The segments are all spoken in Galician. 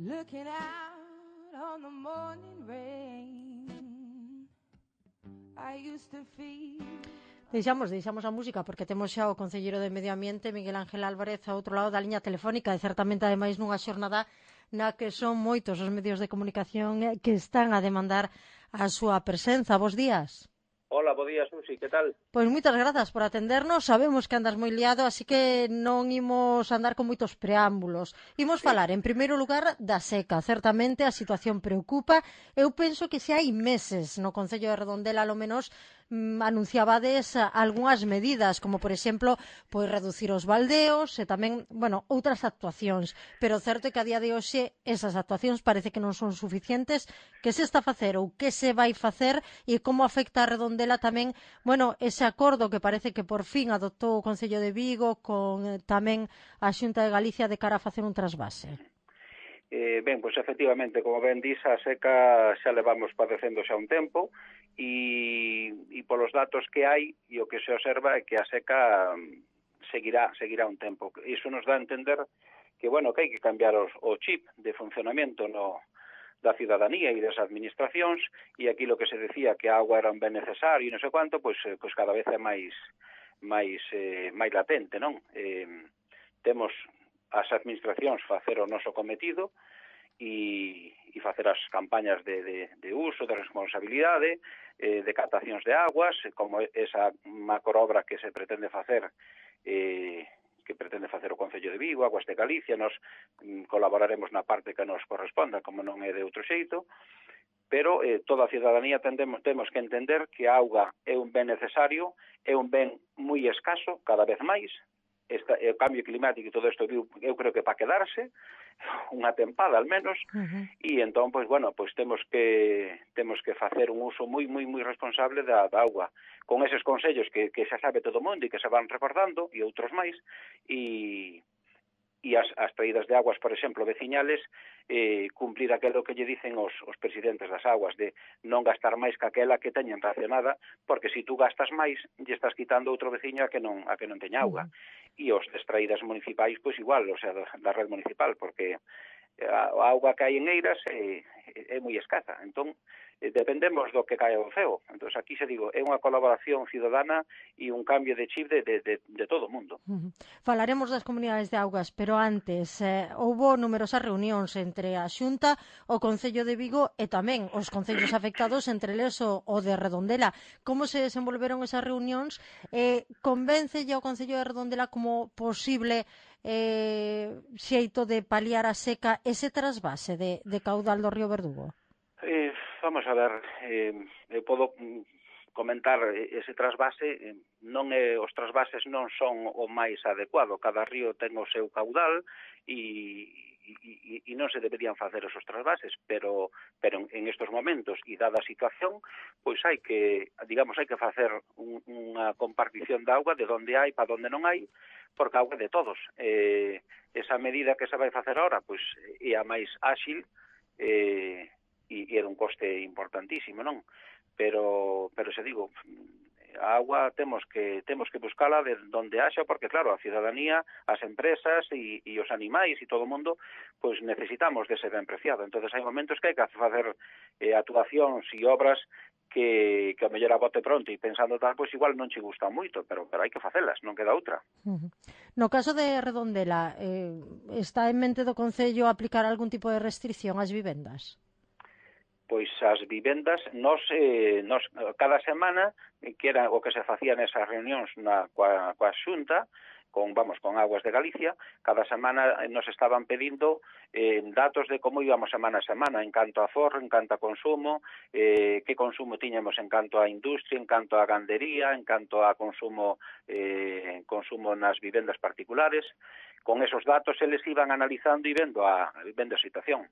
Looking out on the morning rain, I used to feel. Deixamos a música porque temos xa o concelleiro de Medio Ambiente, Miguel Ángel Álvarez, ao outro lado da liña telefónica e certamente ademais nunha xornada na que son moitos os medios de comunicación que están a demandar a súa presenza. Bos días. Hola, bo día, Susi, que tal? Pois moitas grazas por atendernos, sabemos que andas moi liado, así que non imos andar con moitos preámbulos. Imos falar, en primeiro lugar, da seca. Certamente a situación preocupa. Eu penso que se hai meses no Concello de Redondela, ao menos, anunciabades algunhas medidas, como, por exemplo, pois reducir os baldeos e tamén, bueno, outras actuacións. Pero o certo é que a día de hoxe esas actuacións parece que non son suficientes. Que se está a facer ou que se vai facer e como afecta a Redondela tamén, bueno, ese acordo que parece que por fin adoptou o Concello de Vigo con tamén a Xunta de Galicia de cara a facer un trasvase. Ben, pois efectivamente, como ben dis, a seca xa levamos padecendo xa un tempo e polos datos que hai e o que se observa é que a seca seguirá un tempo. Iso nos dá a entender que, bueno, que hai que cambiar o chip de funcionamento da ciudadanía e das administracións, e aquí lo que se decía que a agua era un ben necesario e non sei quanto, pois cada vez é máis latente, non? Temos as administracións facer o noso cometido e facer as campañas de uso, de responsabilidade, de captacións de aguas, como esa macroobra que se pretende facer o Concello de Vigo, Aguas de Galicia. Nos colaboraremos na parte que nos corresponda, como non é de outro xeito, pero toda a ciudadanía temos que entender que a auga é un ben necesario, é un ben moi escaso, cada vez máis. O cambio climático e todo isto eu creo que para quedarse unha tempada al menos, e entón, pois, bueno, pois temos que facer un uso moi responsable da auga, con eses consellos que xa sabe todo o mundo e que se van recordando, e outros máis, e as traídas de aguas, por exemplo, veciñales, cumplir aquilo que lle dicen os presidentes das aguas, de non gastar máis que aquela que teñen racionada, porque se tú gastas máis, lle estás quitando outro veciño a que non teña auga. E os traídas municipais, pois igual, o sea, da red municipal, porque a auga que hai en Eiras é moi escasa. Entón, dependemos do que cae ao ceo. Entón, aquí se digo, é unha colaboración ciudadana e un cambio de chip de todo o mundo. Falaremos das comunidades de augas, pero antes houbo numerosas reunións entre a Xunta, o Concello de Vigo e tamén os concellos afectados, entre eles o de Redondela. Como se desenvolveron esas reunións? Convéncelle ao Concello de Redondela como posible xeito de paliar a seca ese trasvase de caudal do río Verdugo? Vamos a ver, eu podo comentar ese trasvase. Os trasvases non son o máis adecuado, cada río ten o seu caudal e non se deberían facer esos trasvases, pero en estos momentos e dada a situación, pois hai que facer unha compartición de auga de onde hai para onde non hai, porque a auga é de todos. Esa medida que se vai facer ahora, pois é a máis áxil e é un coste importantísimo, non? Pero se digo, a agua temos que buscala de onde haxa, porque claro, a ciudadanía, as empresas e os animais e todo o mundo, pois necesitamos dese ben preciado. Entonces hai momentos que hai que facer actuacións e obras que a mellor a bote pronto e pensando tal, pois igual non che gustan moito, pero hai que facelas, non queda outra. No caso de Redondela, está en mente do Concello aplicar algún tipo de restricción ás vivendas? Pois as vivendas, nos cada semana, que era o que se facía nesas reunións coa Xunta, con Aguas de Galicia, cada semana nos estaban pedindo datos de como íbamos semana a semana, en canto a forro, en canto a consumo, que consumo tiñamos en canto a industria, en canto a gandería, en canto a consumo nas vivendas particulares. Con esos datos eles iban analizando e vendo a situación.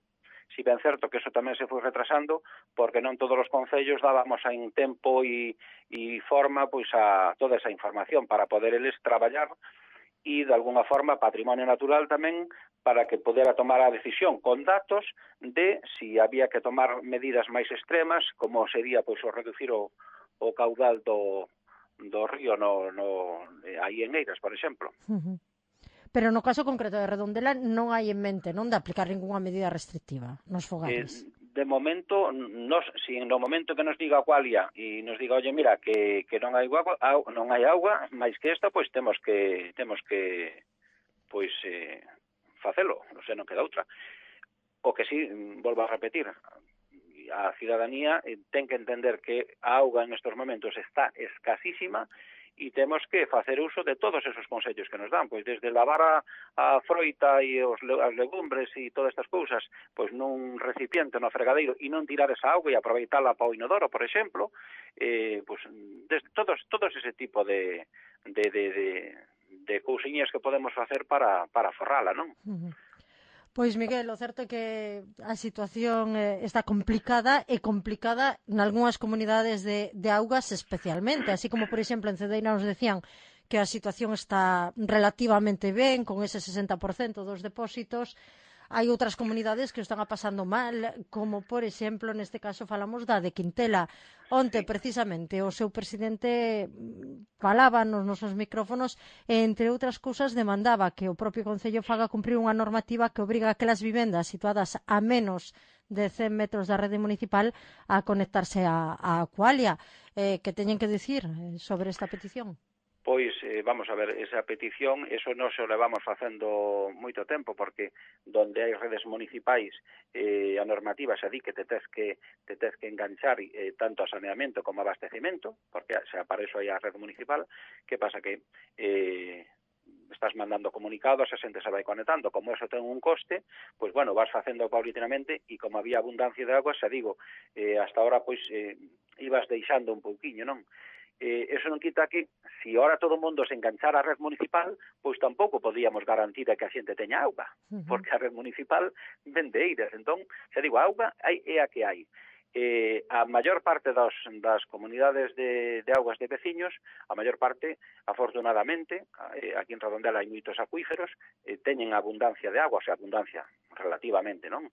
Si ben certo que eso tamén se foi retrasando, porque non todos os concellos dábamos en tempo e forma pois a toda esa información para poder eles traballar e, de alguna forma, patrimonio natural tamén, para que pudera tomar a decisión con datos de si había que tomar medidas máis extremas, como sería pois o reducir o caudal do río aí en Eiras, por exemplo. Pero no caso concreto de Redondela non hai en mente, non, de aplicar ninguna medida restrictiva nos fogares. De momento, si no momento que nos diga Aqualia e nos diga, oye, mira, que non hai auga, máis que esta, pois temos que pois facelo, non sei, non queda outra. O que sí, volvo a repetir, a cidadanía ten que entender que a auga en estes momentos está escasísima e temos que facer uso de todos esos consellos que nos dan, pois desde lavar a froita e as legumbres e todas estas cousas, pois nun recipiente, no fregadeiro, e non tirar esa auga e aproveitala para o inodoro, por exemplo, pois todos ese tipo de cousiñas que podemos facer para forrala, non? Pois, Miguel, o certo é que a situación está complicada nalgúnas comunidades de augas especialmente, así como, por exemplo, en Cedeira nos decían que a situación está relativamente ben, con ese 60% dos depósitos. Hai outras comunidades que o están a pasando mal, como, por exemplo, neste caso falamos da de Quintela. Onte, precisamente, o seu presidente falaba nos nosos micrófonos e, entre outras cousas, demandaba que o propio Concello faga cumprir unha normativa que obriga a aquelas vivendas situadas a menos de 100 metros da rede municipal a conectarse a Aqualia. Que teñen que dicir sobre esta petición? Pois, vamos a ver, esa petición, eso non se o levamos facendo moito tempo, porque donde hai redes municipais, a normativa xa di que te tes que enganchar tanto a saneamento como a abastecimento, porque xa para iso hai a rede municipal. Que pasa que estás mandando comunicados, a xente se vai conectando, como eso ten un coste, pois, bueno, vas facendo paulatinamente, e como había abundancia de agua, xa digo, hasta ahora, pois, ibas deixando un pouquiño, non? Eso non quita que, se ahora todo o mundo se enganchara á red municipal, pois tampouco podíamos garantir que a xente teña auga, porque a red municipal vende eiras. Entón, xa digo, a auga é a que hai. A maior parte das comunidades de augas de veciños, a maior parte, afortunadamente, aquí en Redondela hai moitos acuíferos, teñen abundancia de agua, o sea, abundancia relativamente, non?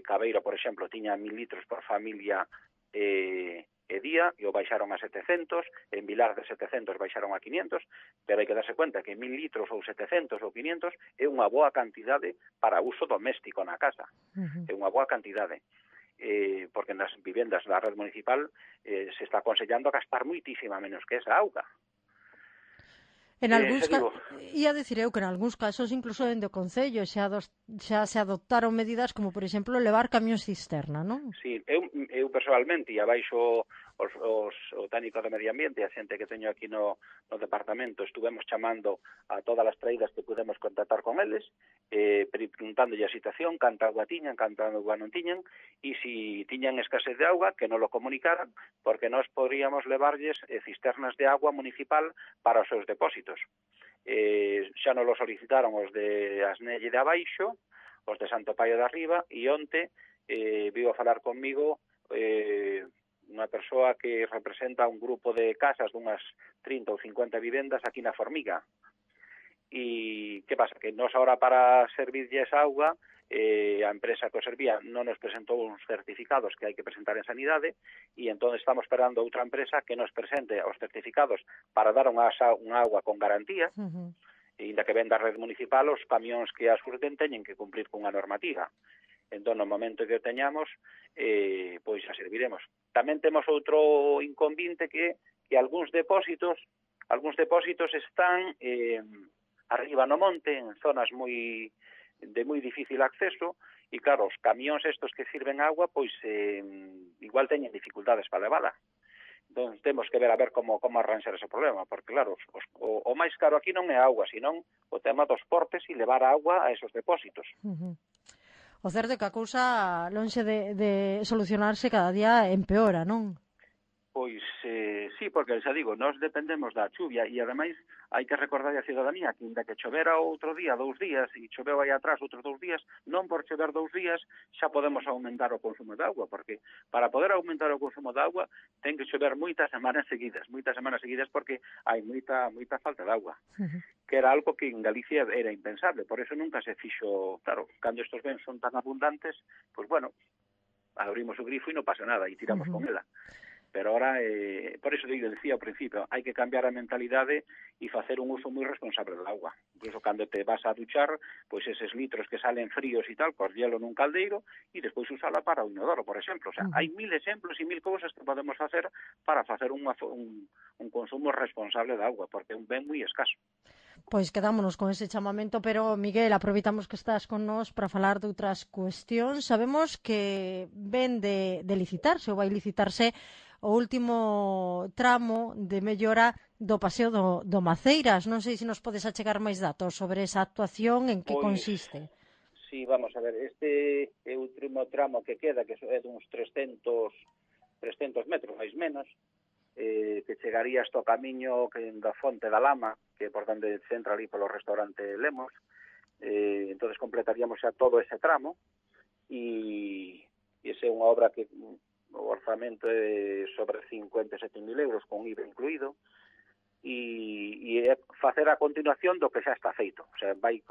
Cabeiro, por exemplo, tiña 1000 litros por familia día, e o baixaron a 700, en Vilar de 700 baixaron a 500, pero hai que darse cuenta que 1000 litros ou 700 ou 500 é unha boa cantidade para uso doméstico na casa, é unha boa cantidade, porque nas vivendas da red municipal se está aconsellando a gastar muitísima menos que esa auga. Ia dicir eu que en algúns casos incluso dende o Concello xa se adoptaron medidas como, por exemplo, levar camións cisterna, non? Sí, eu personalmente, e abaixo o técnico de medio ambiente, a xente que teño aquí no departamento, estuvemos chamando a todas as traídas que pudemos contactar con eles, preguntándolle a situación, canta auga tiñan, canta auga non tiñan, e se tiñan escasez de auga, que non lo comunicaran, porque nós podríamos levarlles cisternas de agua municipal para os seus depósitos. Xa nos lo solicitaron os de Asnelle de abaixo, os de Santo Paio de arriba, e onte vivo a falar conmigo unha persoa que representa un grupo de casas dunhas 30 ou 50 vivendas aquí na Formiga. E que pasa? Que nós ahora para servirlles auga, a empresa que o servía non nos presentou uns certificados que hai que presentar en Sanidade, e entón estamos esperando outra empresa que nos presente os certificados para dar unha auga con garantía, e inda que venda a red municipal, os camións que a surten teñen que cumprir cunha normativa. Entón, no momento que o teñamos, pois a serviremos. Tamén temos outro inconvinte que algúns depósitos están arriba no monte, en zonas de moi difícil acceso, e claro, os camións estos que sirven agua, pois igual teñen dificultades para levala. Entón, temos que ver como arranxar ese problema, porque claro, o máis caro aquí non é a auga, senón o tema dos portes e levar a auga a esos depósitos. O certo é que a cousa, lonxe de solucionarse, cada día empeora, non? Pois sí, porque xa digo, nós dependemos da chuvia, e ademais hai que recordar a cidadanía que inda que chovera outro día, 2 días, e choveu aí atrás outros 2 días, non por chover 2 días xa podemos aumentar o consumo de auga, porque para poder aumentar o consumo de auga ten que chover moitas semanas seguidas, porque hai moita falta de auga, que era algo que en Galicia era impensable, por eso nunca se fixo, claro, cando estos bens son tan abundantes, pois bueno, abrimos o grifo e non pasa nada, e tiramos con ela. Pero ahora, por iso digo, decía ao principio, hai que cambiar a mentalidade e facer un uso moi responsable da auga. Incluso cando te vas a duchar, pois eses litros que salen fríos e tal, cos hielo nun caldeiro e despois usala para o inodoro, por exemplo. O sea, hai 1000 exemplos e 1000 cousas que podemos facer para facer un consumo responsable da auga, porque é un ben moi escaso. Pois quedámonos con ese chamamento, pero Miguel, aproveitamos que estás con nós para falar de outras cuestións. Sabemos que ven de licitarse ou vai licitarse o último tramo de mellora do paseo do Maceiras. Non sei se nos podes achegar máis datos sobre esa actuación, en que Pois, consiste. sí, vamos a ver, este é o último tramo que queda, que é duns 300 metros, máis menos, que chegaría hasta o camiño da Fonte da Lama, que é por onde se entra ali polo restaurante Lemos. Entonces completaríamos xa todo ese tramo e esa é unha obra que o orzamento é sobre 57.000 euros con IVA incluído e é facer a continuación do que xa está feito. O sea, vai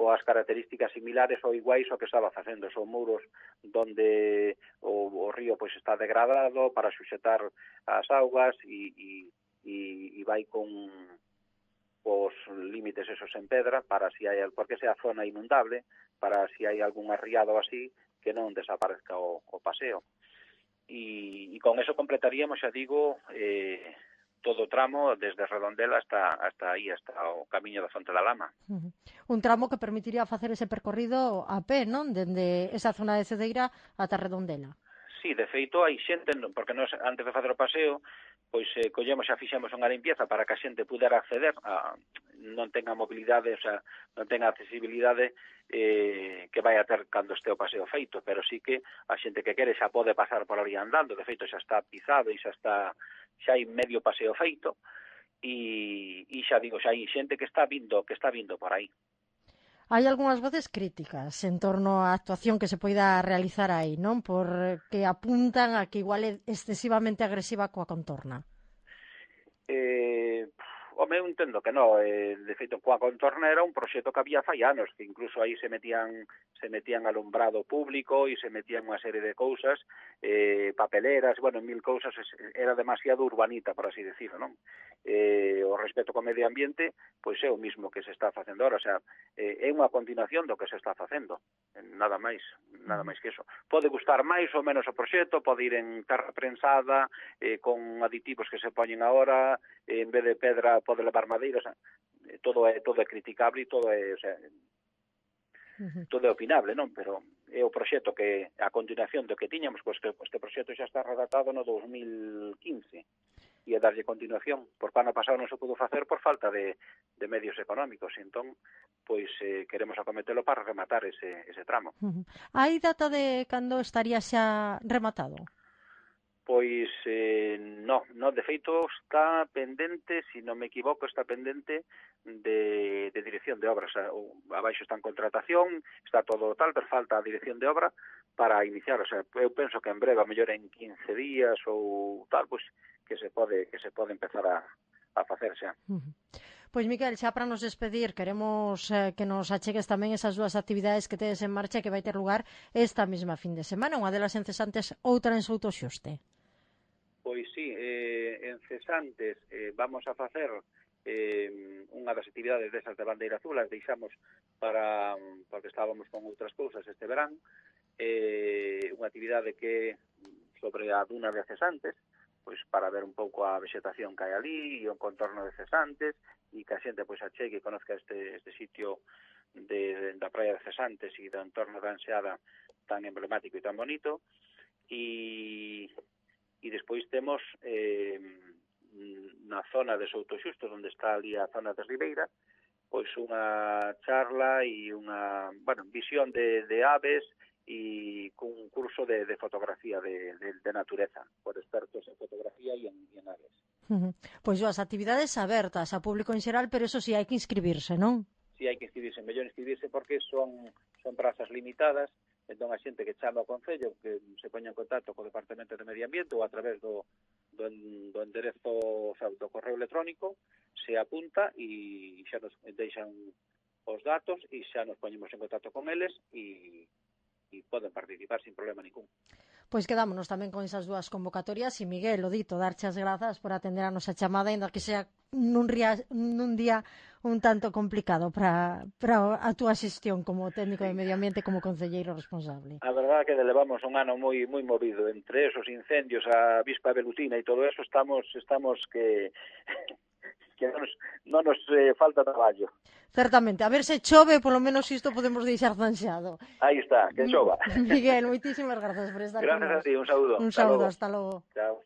coas características similares ou iguais ao que estaba facendo. Son muros donde o río pois está degradado para suxetar as augas e vai con os límites esos en pedra para si hai, porque esa é a zona inundable, para si hai algún arriado así que non desaparezca o paseo. E con eso completaríamos, xa digo, todo o tramo desde Redondela hasta aí, hasta o camiño da Fonte da Lama. Un tramo que permitiría facer ese percorrido a pé, non? Dende esa zona de Cedeira ata Redondela. Sí, de feito, hai xente, porque nós antes de facer o paseo, pois collemos xa fixemos unha limpieza para que a xente pudera acceder, non tenga mobilidade, o sea, non tenga accesibilidade que vai a ter cando este o paseo feito, pero sí que a xente que quere xa pode pasar por ali andando, de feito xa está pisado e xa hai medio paseo feito, e xa digo, xa hai xente que está vindo por aí. Hai algunhas voces críticas en torno á actuación que se poida realizar aí, non? Porque apuntan a que igual é excesivamente agresiva coa contorna. Home, eu entendo que non. De feito, coa contorna era un proxecto que había fai anos, que incluso aí se metían alumbrado público e se metían unha serie de cousas, papeleras, bueno, 1000 cousas, era demasiado urbanita, por así decirlo, non? O respeto co medio ambiente, pois é o mismo que se está facendo ahora, o sea, é unha continuación do que se está facendo, nada máis que eso. Pode gustar máis ou menos o proxecto, pode ir en terra prensada, con aditivos que se poñen agora, en vez de pedra pode levar madeira, o sea, todo é criticable e todo é, o sea, todo é opinable, non? Pero é o proxecto que, a continuación do que tiñamos, pois que este proxecto xa está redactado no 2015 e a darlle continuación, porque ano pasado non se pudo facer por falta de medios económicos, entón, pois queremos acometelo para rematar ese tramo. Hai data de cando estaría xa rematado? Pois no, de feito está pendente, se non me equivoco, está pendente de dirección de obras. Abaixo está en contratación, está todo tal, pero falta a dirección de obra para iniciar. O sea, eu penso que en breve, a mellor en 15 días ou tal, pois que se pode empezar a facer xa. Pois, Miquel, xa para nos despedir, queremos que nos achegues tamén esas dúas actividades que tedes en marcha que vai ter lugar esta mesma fin de semana, unha delas en Cesantes, outra en Soutoxuste. Pois sí, en Cesantes vamos a facer unha das actividades desas de bandeira azul, as deixamos porque estábamos con outras cousas este verán, unha actividade que sobre a duna de Cesantes, pois para ver un pouco a vegetación que hai ali e o contorno de Cesantes e que a xente pois achegue e conozca este sitio da praia de Cesantes e do entorno da Anseada tan emblemático e tan bonito. E despois temos na zona de Soutoxusto, onde está ali a zona de Ribeira, pois unha charla e unha, visión de aves e cun curso de fotografía de natureza, por expertos en fotografía e en aves. Pois as actividades abertas a público en xeral, pero eso sí, hai que inscribirse, non? Sí, hai que inscribirse, mellor inscribirse porque son prazas limitadas. Entón, a xente que chama ao Concello que se poña en contacto co Departamento de Medio Ambiente ou a través do enderezo, o sea, do correo electrónico, se apunta e xa nos deixan os datos e xa nos poñemos en contacto con eles e poden participar sin problema ningún. Pois quedámonos tamén con esas dúas convocatorias e Miguel, o dito, darche as grazas por atender a nosa chamada, ainda que sea nun día un tanto complicado para a túa xestión como técnico de medio ambiente, como concelleiro responsable. A verdade é que levamos un ano moi movido, entre esos incendios, a avispa velutina e todo eso, estamos que non nos falta traballo. Certamente, a ver se chove, polo menos isto podemos deixar zanxado. Aí está, que chova. Miguel, moitísimas grazas por estar con nós. Gracias a ti, un saúdo. Un saúdo, hasta logo. Chao.